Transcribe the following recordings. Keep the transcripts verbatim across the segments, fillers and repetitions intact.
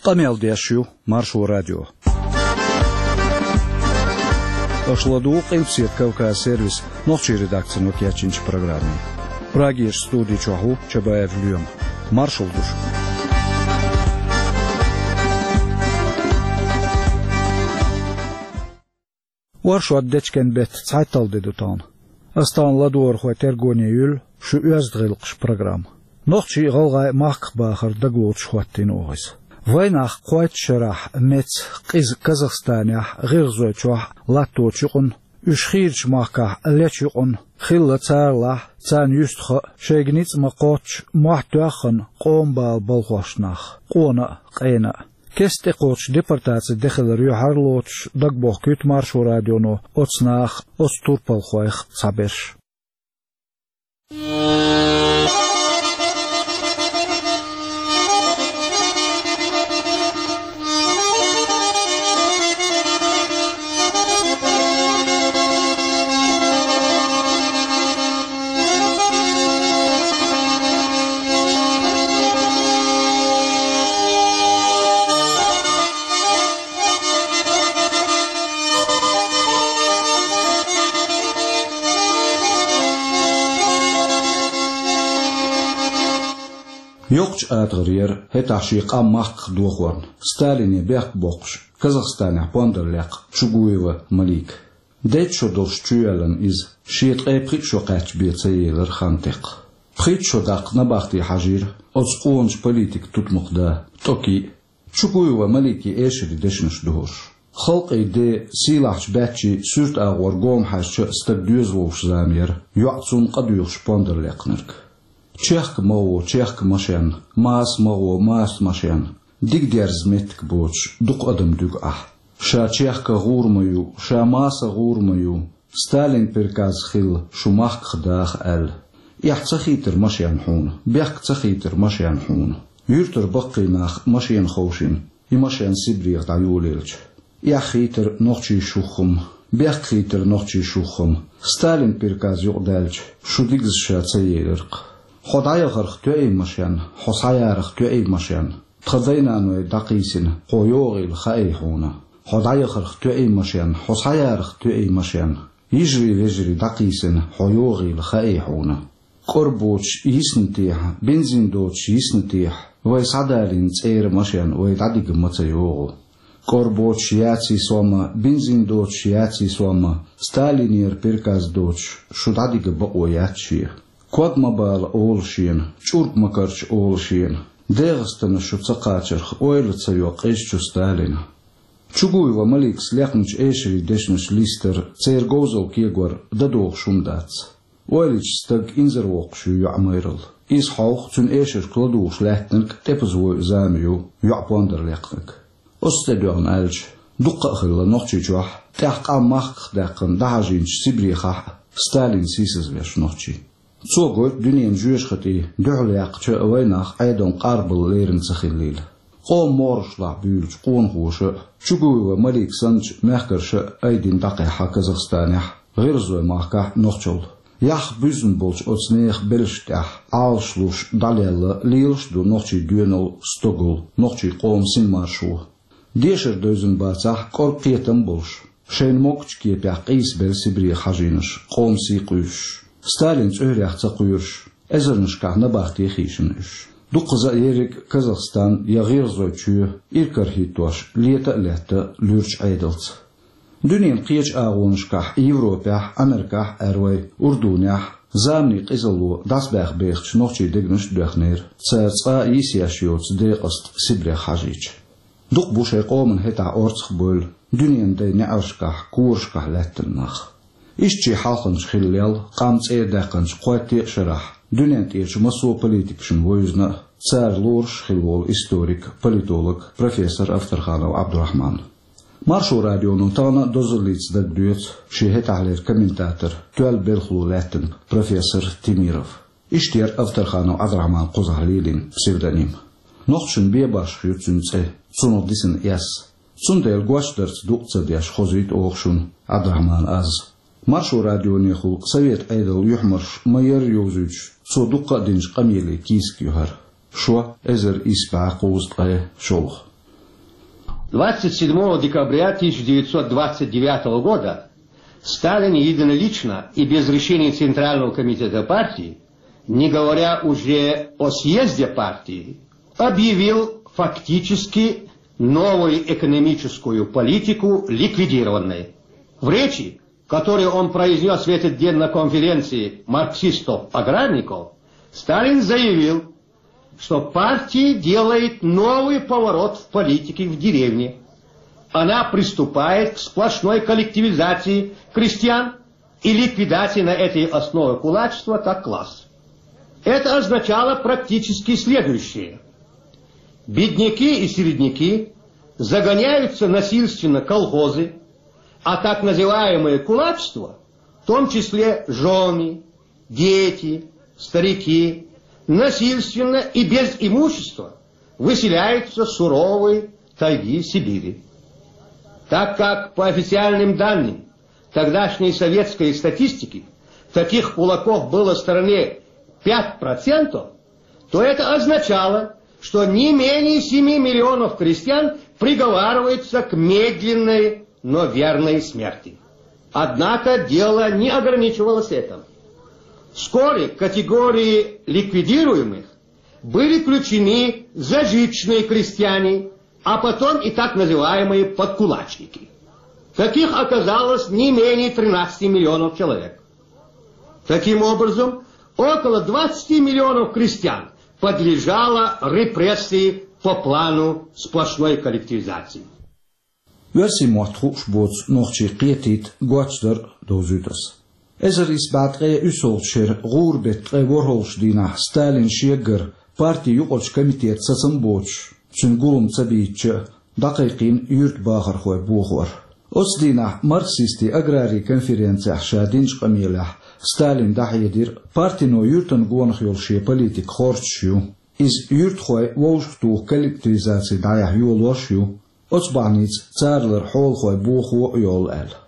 Къамел деш ю Маршо радио. Аша ладугӀу Къилбаседа Кавказ сервисан нохчийн редакцино кечйинчу программе. Прагерчу студи чохь ву Чабаев Лоьма. Маршалла ду шуьга. Оршот дечкен беттан цхьайтталгӀа де ду тахана. Аса тахана ладогӀархойн тергоне юьллу шун оьзда гӀиллакхаш программа. Нохчий а, гӀалгӀай а махках бахар дагалоцуш хӀоттийна оха иза. Вайнах кхойтта шарахь меца, къиза Казахстанехь, ГӀиргӀазойчохь, латточу юкъана, уьш хийрачу махкахь лечу юкъана хилла царалахь, царна юьстаха а, шайга ницкъ ма-кхоччу, мохь тоьхна къоман бала балхош нах, къона а, къена а. Кеста тӀекхочуш депортаци де хилар юьхьар а лоцуш, дагабохкуьйту Маршо радионо оцу наха, оцу турпалхойх цхьаберш. Йоккхачу атагӀара яра хӀетахь шен къам махках дохорна, Сталине бехк боккхуш, Казахстанехь пондар лекха Чугуева Малика. Дейтта шо долуш чуйоьллина иза, шен ткъе пхиъ шо кхаьчча бен ца елира хан текха. Пхийтта шо даккха набахте хьажийра оцу къоначу политикан тутмакх да ТӀокий. Чугуева Маликин эшарийн дешнаш духуш. Халкъан ден, сийлахьчу баьччийн суьрта агӀор гома хьаьжча а стаг доьза вовшах зама яра, йоӀ цунна къа доьхуш пондар лекхнарг. Чехка ма гӀо, чехка машен, маса ма гӀо, маса машен, дика дерза меттиг боцуш, дукха адам дуьгу ахь. Ша чехка гӀур ма ю, ша маса гӀур ма ю, Сталин приказ хилла шу махках даха аьлла. Эхь ца хийтира машен хьуна, бехк ца хийтира машен хьуна. Юьртара баккхий нах машена ховшийна, и машен Сибрех дӀайолаелча. Эхь хийтира нохчийн шух-м, бехк хийтира нохчийн шух-м, Сталин приказ юкъадаьлча, шу дигаза ша ца елира-кх. Хьо дӀаяхарх тоьий машен, хьо схьаярах тоьий машен, тхан дай-наной дӀакхийсина, хьо йогӀийла хаий хьуна. Хьо дӀаяхарх тоьий машен, хьо схьаярах тоьий машен, йижарий-вежарий дӀакхийсина, хьо йогӀийла хаий хьуна. КӀора боцуш йисна техьа, бензин доцуш йисна техьа, вай схьадалийна цӀера машен вай дӀадига ма ца йогӀу. КӀора боцуш яций сом а, бензин доцуш яций сом а, Сталинера приказ доцуш, шу дӀадига бакъо яц шен. Ког ма бала олу шена, чӀург ма карча олу шена, ДегӀастана шу ца кхачарх ойла ца йо къизачу Сталина. Чугуева Маликас лехначу эшарийн дешнаш листар, церан говзалла кегор дан догӀуш хӀума дац. Ойла йича стаг инзарвоккхуш ю йоӀ майралла. Иза хьовха, цуьнан эшаршка ладугӀуш лаьттинарг тӀепаза войъу зама ю йоӀ пондар лекхнарг. Оцу тӀе доьгӀна аьлча, дуккха а хилла Нохчийчохь, тӀаьхьа къам махках даьккхина дӀахьажийначу Сибрехахь а Сталин сийсазвеш нохчий. Цо гойту дуьненан жоьжахатий дуьхьал яьккхича а вайнах Ӏедална къарбалла лерина ца хиллийла. Къоман могӀарашлахь буьйлучу къонахоша а, Чугуева Малика санначу мехкарша а айдина дӀакхехьа Казахстанехь, ГӀиргӀазойн махкахь а нохчалла. Яхь буьззина болчу оцу нехан белшаш тӀехь Ӏалаш луш дӀалелла лелаш а ду нохчийн доьналла, стогалла, нохчийн къоман синмаршо. Дешар девзина бацахь, кӀорга кхетам а болуш, шайна могучу кепехь къийсабелла Сибрех хьажийнарш, къоман сий къуьйсуш, Сталин цӀоьрех ца кхоьруш, эзарнашкахь набахте хийшина уьш. Дуккхаза а ерриг а Казахстан я ГӀиргӀазойн чоь иракарахӀиттош лета а летта луьрачу Ӏедалца. Дуьненан кхечу агӀонашкахь, Европехь, Америкахь а, аьрру вай, Урдунехь а заманийн къизалло дӀасабаьхна бехачу нохчийн дегнаш а доьхнера, цара цкъа а йисъеш йоцу декъаста Сибрех хьажийча. Дукха бу шайн къоман хӀетахь орцахбевлла дуьненан дайн неӀаршкахь, корашкахь лаьттина нах. Иштта шен хьалханча хилла лел, къам цӀера даьккхинчу кхойтте а шарахь, дуьнен тӀерачу массо а политикашна вевзина а, цара лоруш а хилла волу историк, политолог, профессор Авторханов Ӏабдурахьман. Маршо радионо тахана а дозаллица дагадоьцу шен хӀетахьлера комментатор, тоьлла белхало лаьттинарг профессор Темиров. Иштта яра Авторханов Ӏабдурахьман кхузахь лелийна псевдоним. Нохчашна бен башха ю цуьнан цӀе, цунах дисина эс. Цундела гочдарца дукъ ца деш хозуьйту оха шуна Ӏабдурахьманан аз. Маршо радионехула Совет Ӏедалан юьхьмарш ма-ярра йовзуьйтуш, цо дуккха а динчу къамеле кийсак ю хӀара. Шо, эзар исс бӀе кхузткъе шолгӀа. Двадцать седьмого декабря тысяча девятьсот двадцать девятого года Сталин единолично и без решения Центрального комитета партии, не говоря уже о съезде партии, объявил фактически новую экономическую политику ликвидированной. В речи, которую он произнес в этот день на конференции марксистов-аграрников, Сталин заявил, что партия делает новый поворот в политике в деревне. Она приступает к сплошной коллективизации крестьян и ликвидации на этой основе кулачества как класс. Это означало практически следующее. Бедняки и середняки загоняются насильственно в колхозы, а так называемое кулачество, в том числе жены, дети, старики, насильственно и без имущества выселяются в суровые тайги Сибири. Так как, по официальным данным тогдашней советской статистики, таких кулаков было в стране пять процентов, то это означало, что не менее семи миллионов крестьян приговариваются к медленной, но верной смерти. Однако дело не ограничивалось этим. Вскоре к категории ликвидируемых были включены зажиточные крестьяне, а потом и так называемые подкулачники. Таких оказалось не менее тринадцати миллионов человек. Таким образом, около двадцати миллионов крестьян подлежало репрессии по плану сплошной коллективизации. Оьрсийн мотт хууш боцу нохчий кхетийта гочдар довзуьйту ас. Эзар исс бӀе ткъе уьссалгӀачу шеран гӀуран беттан ткъе ворхӀалгӀачу дийнахь Сталин шегара парти юкъарчу комитета сацам боцуш, цуьнан гулам ца бийцча, дӀакхайкхийна юьртан бахархой бохор. Оцу дийнахь марксистийн аграрийн конференцехь ша динчу къамелехь Сталин дӀахьедира партино юьртан гонах йолу шен политика хорцуш ю. Иза юьртахой вовшахтуху коллективизаци дӀаяхьа йолош а ю. Оцу бахьаница царалара хьолахой бохо а йолу аьлла.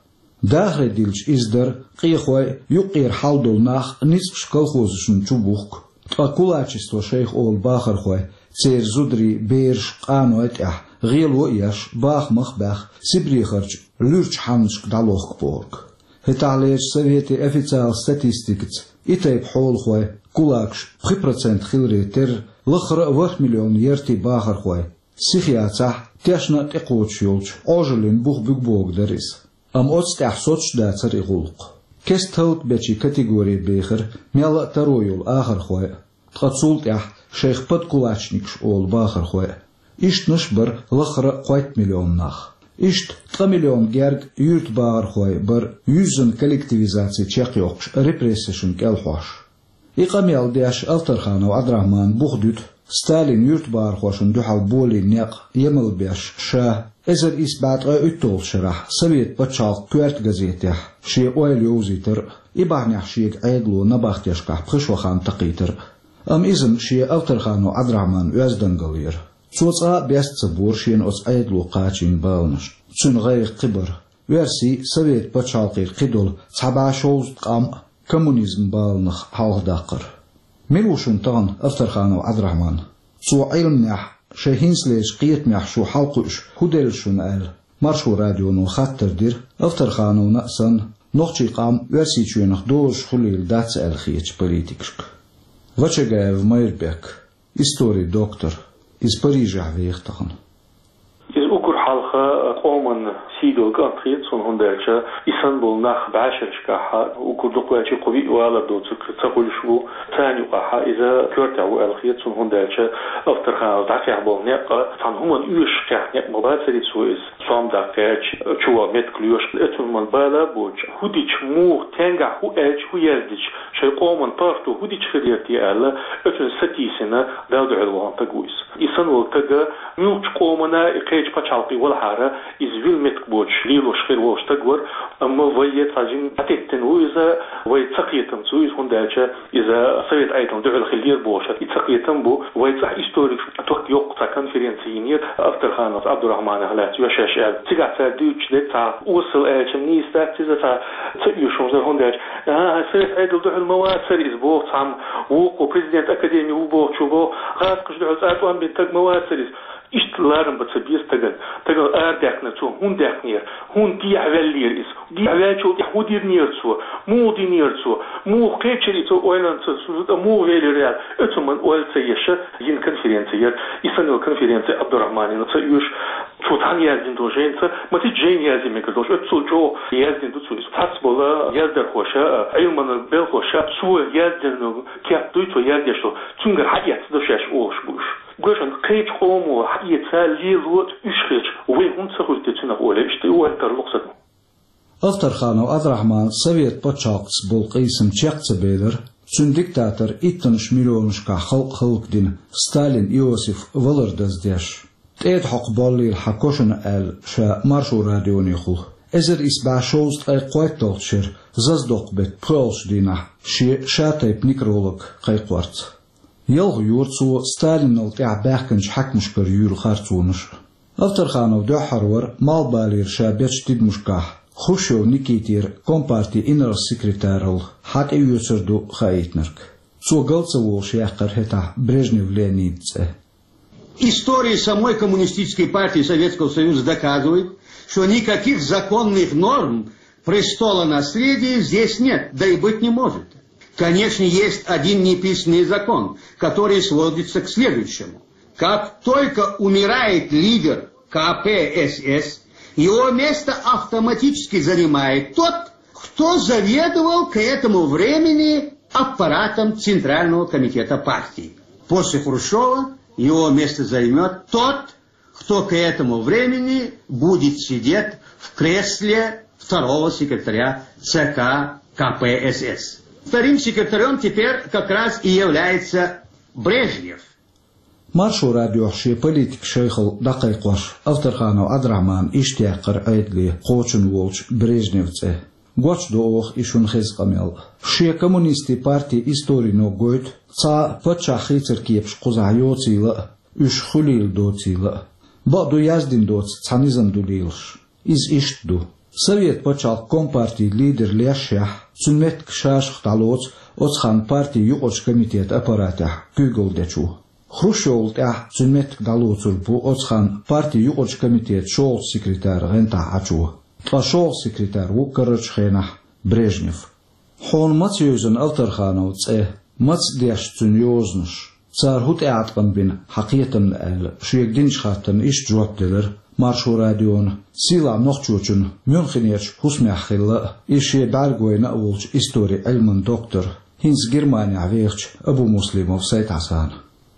Дахаре диллича иза дара, къехой, юккъера хьал долу нах ницкъаш колхозашна чу бухку. Ткъа кулачество шайх олу бахархой, церан зударий, бераш, къаной тӀехь гӀело а еш, бахамах а баьхна, Сибрехарчу луьрачу хьаннашка дӀалохку бохург. ХӀетахьлерчу советийн официалан статистикаца и тайпа хьолахой, кулакаш, пхи процент хиларе терра, лаххара а ворхӀ миллион яртий бахархой, сиха яцахь, тешна а тӀекхочуш йолчу Ӏожаллин бух буьгу бохург дара иза. Амма оцу тӀехь соцуш дацара и гӀуллакх. Кеста хӀаллакбечийн категоре бехира мелла а таро йолу ахархой а, ткъа цул тӀаьхьа шайх подкулачникаш олу бахархой а. Ишттанаш а бара лаххара а кхойтта миллион нах. Иштта ткъа миллион герга юьртан бахархой бара юьззина коллективизаци чекхйоккхуш репрессешна кӀелхьош. И къамел деш Авторханов Ӏабдрахьмана бух дуьту Сталин юьртан бахархошна дуьхьал болийна некъ емал беш ша, эзар исс бӀе ткъе уьтталгӀачу шарахь Совет пачхьалкхан коьрта газетехь шен ойла йовзийтар а, и бахьанехь шега Ӏедало набахтешкахь пхи шо хан такхийтар а. Амма иза-м шен Авторханов Ӏабдрахьманан оьздангалла яра. Цо цкъа а беста ца бора шена оцу Ӏедало кхачийна баланаш. Цуьнан гӀайгӀа кхин бара: оьрсийн, совет пачхьалкхийн кхидолу цхьа бӀе шовзткъа къам а коммунизман баланах хьалхадаккхар. Мила ву шуна тахана Авторханов Ӏабдрахьман? Цо Ӏилманехь, шайн хӀинцалерчу кхетамехь шу хьалакхуьуш хӀун делла шуна аьлла, Маршо радионо хаттар дира, Авторхановна а санна, нохчийн къам Оьрсийчоьнах дозуш хуьлийла дац аьлла хетачу политикашка. Вачагаев Майрбек, историн доктор, иза Парижехь веха тахана. Иза уггар хьалха къоман сий долу кӀант хета суна, хӀунда аьлча и санна болу нах бӀешерашкахь, уггар дукха ваьлча кху виъ валар доцург ца хуьлуш ву, царна юкъахь иза коьртехь ву аьлла хета суна, хӀунда аьлча Авторхановс дӀакхехь болу некъ цхьана хӀуманна оьшуш кхехь некъ ма бацарий цо иза. Сом даккхаьчча, чу ван меттиг лоьшуш, оцунна ма бала боцуш, хӀун дича, муха, стенгахь хӀун аьлча, хӀун яздича, шайн къоман паргӀато хӀун дича хир яра те аьлла, оцунна сатийсина, Далла дуьхьал вахана стаг ву иза. И санна волу стаг муьлххачу къомана, и кхечу пачхьалкхе валахьара, иза вилла меттиг боцуш лелош хир волу стаг вара, амма вай цхьа жимма дӀатеттина ву иза, вай цакхетамца ву иза, хӀунда аьлча иза совет Ӏедална дуьхьал хиллера бохуш, и цакхетам бу, вай цӀахь историкаш ток йоккха цхьа конференци йинера Авторхановс Ӏабдурахьманах лаьцна йоьшуш аьлла. Цигахь цара дуьйцуш дерг цхьа осал аьлча нийса дац иза, цхьа ца оьшуш дара, хӀунда аьлча, а, совет Ӏедал дуьхьал ма вацара иза боху цхьамма, вукхо президент академи ву бохучо боху, гӀазкхаша дуьхьал цкъа тӀом бина стаг ма вацара иза. Иштта ларам бац бе стагана. Стагал арадаьккхинера цо, хӀунда даьккхинера, хӀунда дехьаваьллера иза, дехьаваьллачул тӀехьа хӀун динера цо, муха динера цо, муха кхечира цо ойланца, цо муха велира аьлла, оцу ман ойла ца еш йина конференци яр. И санна йола конференци Абдурахманна ца оьшу, цо цхьана яздина долу жайнаца, масситта жайна язъян мегар долуш, оццул чӀогӀа яздина ду цо иза. Цхьацца болу яздархоша, Ӏилманан белхоша, цо яздина кеп дуй цо яздеш долу, цуьнгара хьаэцна ду шаьш олуш бу уьш. Гой шуна, кхечу къомо хьаэца лело уьш хилча, вай хӀунда ца хуьлу те цунах олий, иштта ойла тарло-кх стага. Авторханов Ӏабдурахьман совет пачхьалкхаца болу къийсам чекх ца белира, цуьнан диктатор иттаннаш миллионашкахь халкъ хӀаллакдина Сталин Иосиф валар даздеш. ТӀеда хьокху боллийла хьан кошана аьлла, ша Маршо радионехула. Эзар исс бӀе шовзткъе кхойтталгӀачу шеран Заздокху беттан пхоьалгӀачу дийнахь шен шатайпа некролог кхайкхорца. Ялх йора цо Сталинал тӀаьхьа баьхкинчу хьаькамашкара юьйлу харцонаш. Авторханов дуьххьара вара малхбалера ша бечу тидамашкахь Хрущев Никитера компартин инарла-секретаралла хьан тӀеоьцур ду хаийтинарг. Цо гал ца волуш яьккхира хӀетахь Брежнев Леонидан цӀе. История самой Коммунистической партии Советского Союза доказывает, что никаких законных норм престолонаследия здесь нет, да и быть не может. Конечно, есть один неписанный закон, который сводится к следующему. Как только умирает лидер К П С С, его место автоматически занимает тот, кто заведовал к этому времени аппаратом Центрального комитета партии. После Хрущева его место займет тот, кто к этому времени будет сидеть в кресле второго секретаря Ц К К П С С. Вторым секретарем теперь как раз и является Брежнев. Маршо радиохь шен политикан шайхалла дӀакхайкхош, Авторханов Ӏабдурахьмана иштта яьккхира Ӏедале кхочун волчу Брежневан цӀе. Гочдо оха и шуна хеза къамел. Шен коммунистийн партин историно гойту, цхьа паччахь хийцар кепаш кхузахь йоцийла а, уьш хуьлийла доцийла а. Бакъду, яздина доцу цхьа низам ду лелаш. Иза иштта ду. Совет пачхьалкхан компартин лидер лешшехь, цуьнан меттиг шашах дӀалоцу оцу ханна партин юкъарчу комитетан аппаратехь куьйгалла дечо. Хрущевал тӀаьхьа цуьнан меттиг дӀалоцур бу оцу ханна партин юкъарчу комитетан шолгӀачу секретаран гӀантахь Ӏачо. Ткъа шолгӀа секретарь ву карарчу хенахь Брежнев. Хьуна маца евзина Авторхановн цӀе, маца дешна цуьнан йозанаш? Цара хӀун тӀеӀаткъам бина хьан кхетамна аьлла, шега динчу хаттарна иштта жоп делира Маршо радиона сийлахь нохчочун Мюнхенерчу хӀусамехь хилла а, иза шен бӀаьргавайна а волчу историн Ӏилман доктор, хӀинца Германехь вехачу Абумуслимов Сайд-Хьасана.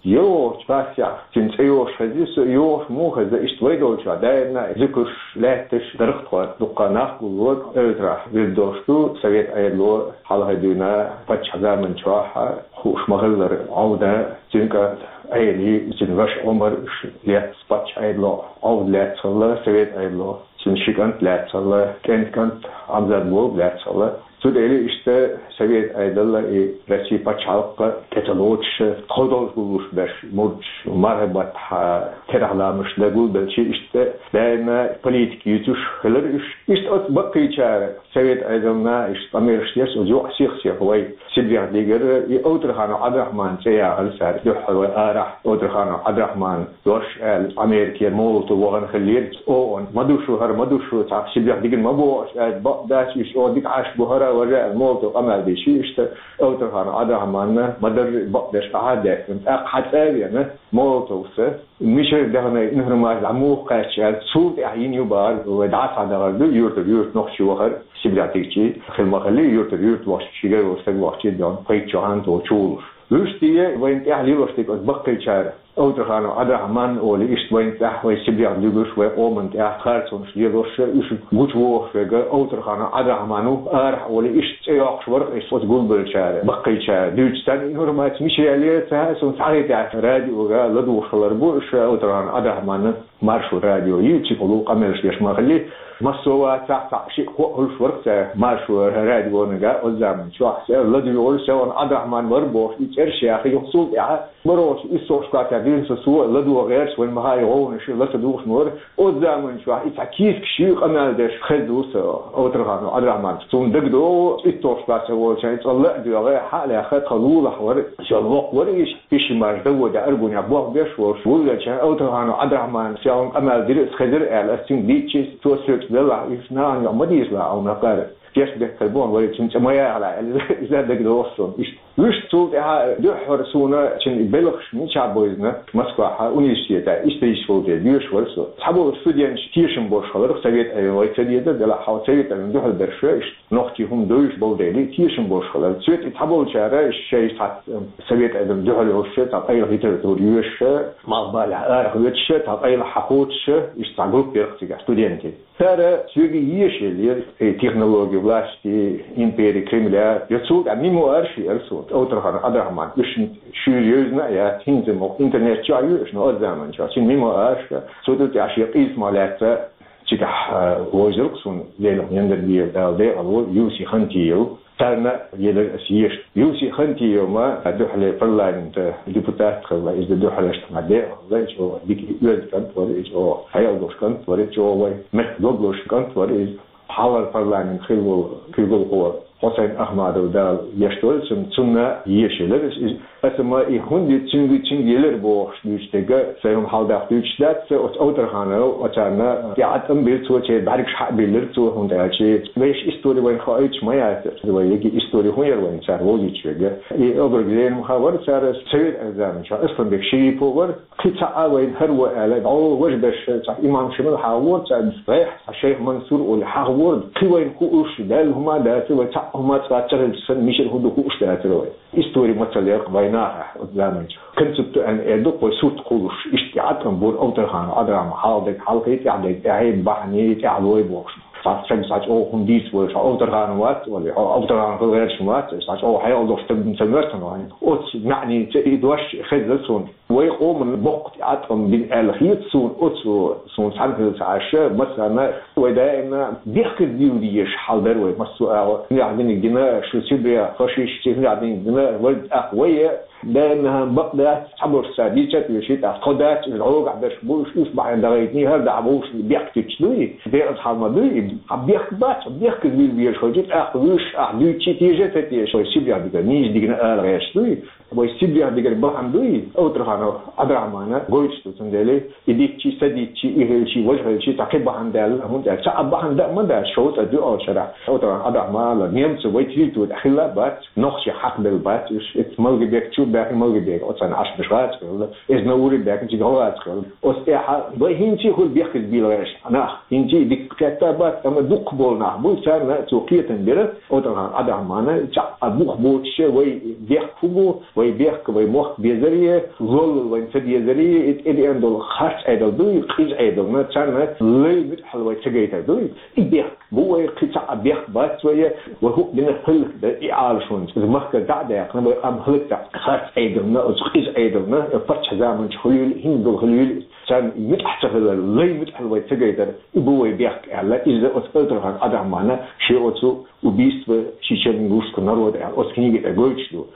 ЙогӀучу гӀаттехь цуьнан цӀе йогӀуш хеза, со йогӀуш муха хеза, иштта вай долчохь даимна зуькарш, лаьтташ, дархтхой дуккха нах гулло, эвтарахь вирд долуш ду, совет Ӏедало хьалхе дуьйна паччахьан заман чохь хууш ма-хиллара, Ӏовдан цуьнан кӀант Ӏели, цуьнан ваша Ӏумар, уьш лаьцна паччахьан Ӏедало Ӏовда лаьцна хилла, совет Ӏедало цуьнан ши кӀант лаьцна хилла, кӀентан кӀант Ӏамзат-Боб лаьцна хилла. Цу тӀе иштта совет Ӏедал а, и Россин пачхьалкх а тӀе ца лоцуш, тхо долуш гуллуш берш, мурдаш, марханбаттахь терахьламаш дан гулбелча, иштта даимна политика юьйцуш хилира уьш. Иштта оцу баккхийчара совет Ӏедална иштта къамелаш деш, оцу юкъа сих-сиха вай Сибрехь дигира, и Авторханов Ӏабдурахьманан цӀе яхара цара, дуьххьара вай арахь Авторханов Ӏабдурахьман дош аьлла, Америкера Молотов вахана хиллера, О О Н ма ду шу, хӀара ма ду шу, цхьа Сибрехь дигна ма боху аша аьлла, бакъ дац, уьш чӀогӀа дика Ӏаш бу хӀара, важа аьлла, Молотов къамел дийши, иштта Авторханов Ӏабдурахьманна ма-дарра бакъдеш къахьа а даьккхина. ТӀаккха хьан цӀа а веана, Молотовс мичара даьхна информаци дӀа муха кхаьчча аьлла, цул тӀаьхьа йина ю бахара, вай дӀа а схьадахар ду, юьртара юьрта нохчий вахара, Сибрехь дигчий хила ма хиллий, юьртара юьрта вахча, ши гаргара стаг вахча, дегӀан пхийтта шохан тохачу волуш. Вуьшта вайна тӀехь лелош дерг оцу баккхийчара, Авторханов Ӏабдурахьман олий, иштта вайна тӀехь, вай Сибрехь дуьгуш, вай къоманна тӀехь харцонаш лелош, уьш гучувохуш верг Авторханов Ӏабдурахьман ву, арахь олий, иштта цӀе йоккхуш вара-кх иза оцу гулбеллачара, баккхийчара. Дуьйцу царна информаци мича ялера ца хаьа суна, цхьа а хӀетахь радиога ладугӀуш хилар бу, уьш Авторханов Ӏабдурахьманан Маршо радио йийцича, къамелаш деш ма хиллий, массо а вацахь, цхьаъ-шиъ кхоъ хуьлуш вара-кх цара Маршо радионага оцу заман чохь, ладуьйгӀуш, Севан Ӏабдурахьман вара бохуш, и цӀераш яхий, юха цул тӀаьхьа Барош, иссохш кхатар дин со, со ладугӀа гӀерташ, вайн махай гӀовнаш, ласа духаш мора. Оцу заманчохь и цхьа кийсакаш ю къамел деш хеза ду со Овтарханов Ӏабдрахьманца. Суна дагадогӀу, иттохш кхатар волча, и цӀа ла а доьгӀе, хьа а лаьхха, тха лулахь вара, шел воккха вара иш, ишимаш даво де аргунехь болх беш волуш, вуллача Овтарханов Ӏабдрахьманца, ша вайн къамел дира, ас хезира аьлла, ас цуьнга дийцчи, цо соьца делахь, иш нахана юкъа ма дийцалахь, Ӏа ма кхара. Кеш бехкар боху, вай цуьнан цӀа ма яхалахь, аьлла, иза дагадогӀу суна иштта. Вуьшта цул тӀаьхьа дуьххьара суна цуьнан белхаш мичахь бевзина, Москвахь университетехь исторически волу тӀе доьшуш вара со. Цхьаболу студенташ тешам болуш хилар, Совет Ӏедал вай ца деза, делахь хьо Совет Ӏедална дуьхьал берш ю иштта, нохчий хӀума девзаш болу дела, тешам болуш хилар. Цуьнан тӀе цхьаболчара шайн цхьа Совет Ӏедална дуьхьал йолуш, цхьа къайлаха литература йоьшуш, малхбалехь арахоьцуш, цхьа къайлаха хьахоцуш, иштта цхьа группа яра цигахь студентийн. Цара соьга еша елира, и технология власти, импери Кремля, я цул тӀаьхьа мемуарш яра суна, Овтарханов Ӏабдрахьман, уьш шуьйра евзина а яц, хӀинца ма интернет чохь ю уьш, но оцу заманчохь, цуьнан мемуарш, цу тӀе тӀехь шен къийсамах лаьцна цигахь, а, вовзийра суна, Делан Яндарбиев, Дала декъала войла, Юси Хантиев. Царна елира аса еша. Юси Хантиев ма дуьхьале парламентан депутат хилла, иза дуьхьале ма декъала, иза оха дика оьзда кӀант вара, иза оха хьекъал долуш кӀант вара, иза оха вай мехкан дог лозуш кӀант вара иза. Хьалхара парламент хилла волу куьйгалхо Хьусайн Ахмадов, Дала гечдойла цунна, цунна еша елира иза. Аса ма и хӀунда цуьнга, цуьнга елира бохуш дуьйцу дерг, сайн хӀума хьалдаккха дуьйцуш дац, оцу Овтархановс оцарна тӀеӀаткъам бира цо, церан бӀаьргаш хьа а биллира цо, хӀунда аьлча вешан истори вайна хоуьйтуш ма яцара, вай еги истори хӀун яра вайна цара вовзийта верг. И образ лерам хаа вара цара, Совет Ӏедалан заманчохь Асланбек Шерипов вара, кхин цхьа а вайна хӀара ву аьлла, дӀо важа берш, цхьа имам Шамил хьагӀора царна, гӀехь цхьа шайх Мансур олий хьагӀора, кхин вайна хууш, Далла хӀума а дацара, вай цхьа а хӀума цкъа а ца хилча санна, мичара хӀун ду хууш дацара вай. Истори ма ца леркъа вайнах, оцу заманчу концептуально эр ду, кхой сурт кхуллуш, иштта тӀеӀаткъам бора Овтарханов Ӏабдрахьман, хьалхадерг хьалхе, тӀаьхьадерг тӀаьхье, бахьане, тӀаьхьалой бохуш. Цхьа стаг цхьа чӀогӀа хӀума дийца волуш, хьо Овтарханов вац олий, хьо Овтарханов хила гӀерташ ма вац, цхьа чӀогӀа хьекъал долуш стаг ма ца моьтту хьуна. Оцу маьӀница и дош хезна суна. Вай къоман боккха тӀеӀаткъам бина аьлла хета суна, оцу суна цхьаьна хила ца Ӏаш, массарна вай даимна бехказбийла дезаш хьал дара вай, массо а агӀо. ХӀинехь диниг дина шу Сибрехь фашисташца, хӀинехь диниг дина вай, тӀаккха вай даимна бакъ дац, цхьаболуш цара дийца а теший, тӀаккха тхо дац, уьш гӀогахь берш бу, уьш, уьш бахьана дагӀайтиний, хӀара дахьа бу, уьш бехктича дуй, декъаза хьал ма дуй. Хьан бехк бац, бехказбийла везаш хилча, тӀаккха вуьш ахь дуьйцучи теша а ца теша, вай Сибрехь дигара нийса дигна ала гӀерташ дуй. Вай Сибрехь дигара бахьана дуй, Овтарханов Ӏабдрахьмана гойтуш ду, цундела и дитчи, са дитчи, и хилчи, важа хилчи, цхьа кхин бахьана даьлла, хӀунда аьлча цхьа а бахьана дан ма дац, шовзткъа дуьхьал шарахь. Овтарханов Ӏабдрахьман а немцо вай территори тӀехь хилла а бац, нохчий хьакхабелла бац уьш. Иза Малгобек чу баьхкина, Малгобек оцарна Ӏаш берш гӀазкхи хилла, иза Наури баьхкина, цига гӀо гӀазкхи хилла. Оцу тӀехь вай хӀинца а хуьлу бехказбийла гӀерташ нах, хӀинца а дика кхетта а бац, амма дукха болу нах бу, царна цо кхетам бира, Овтарханов Ӏабдрахьмана, цхьа а бух боцуш вай бехк хӀун бу, вай бехк, вай мохк безаре, лолла вайн ца дезаре, и тӀедеана долу харц Ӏедал дуй, къиза Ӏедална, царна лай муьтӀахьалла вай ца гайтар дуй. И бехк бу вай, кхин цхьа а бехк бац вай, вай хӀуъа дина хӀаллакдан и Ӏалашонца. Иза махкара дӀа а даьккхина, вай къам хӀаллакдан харц Ӏедална, оцу къиза Ӏедална, паччахьан заманчу хуьлийла, хӀинца долу хуьлийла, царна муьтӀахь ца хилар, лай муьтӀахьалла вай ца гайтар, и бу вай бехк аьлла, иза оцу Овтарханов Ӏабдрахьмана шен оцу «Убийство чечено-ингушского народа» аьлла, оцу книги тӀе гойтуш ду.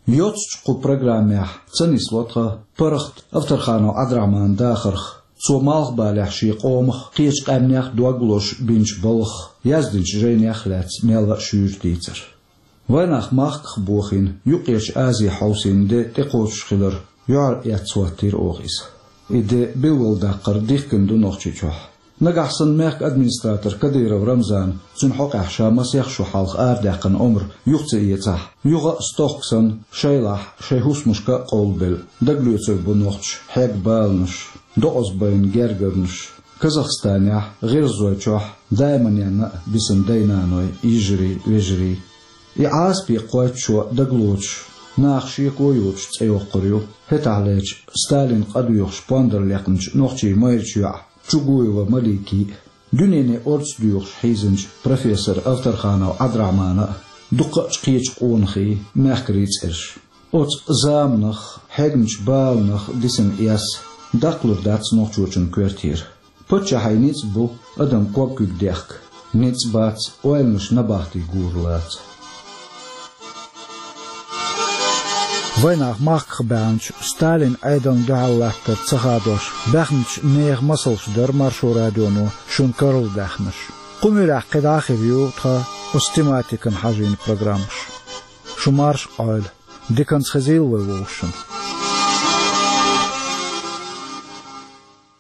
Йоццачу кху программехь ца нисло тхан паргӀат Овтарханов Ӏабдрахьманан дахарх, цо малхбалехь шен къомах, кхечу къаьмнех дог лозуш бинчу балхах, яздинчу жайнех а лаьцна мелла а шуьйра дийцар. Вайнах махках бохийна, Юккъерчу Азе хьовсийна де тӀекхочуш хилар юьхьар эцна хӀоттийра оха иза. И де билгалдаккхар дихкина ду Нохчийчохь. Нагахь санна мехкан администратор Кадыров Рамзана цуьнан хьокъехь ша масех шо хьалха арадаьккхина омра юха ца эцахь, юха а стохка санна, шайлахь, шайн хӀусамашка а къовлабелла, дагалоьцур бу нохчаша хьегна баланаш, докъаза байна гергарнаш, Казахстанехь, ГӀиргӀазойчохь, Дайманенна а бисина дай-наной, йижарий, вежарий. И Ӏазапе кхойтта шо дагалоцуш, наха шеко йоцуш цӀе йоккхур ю, хӀетахьлерчу Сталин къа доьхуш пондар лекхначу нохчийн майрачу йоӀ Чугуева Маликин а, дуьнене орца доьхуш хьийзинчу профессор Овтарханов Ӏабдрахьманан а, дуккха а кхечу къонахийн, мехкарийн цӀераш. Оцу заманах, хьегначу баланах дисина эс даккхалур дац нохчочун коьртера. Паччахьан ницкъ бу адам ког куьг дехка. Ницкъ бац, ойланаш набахти гур лаца. Вайнах махках баьхнача Сталина Ӏедална дуьхьал латтар ца хадош баьхнача нехан масалш дара Маршо радионо шуна карладаьхнараш. Кху муьрехь кхин дӀа а хир ю тхан оцу тематикана хьажийна программаш. Шу марша Ӏойла, диканца хезийла вай вовшашна.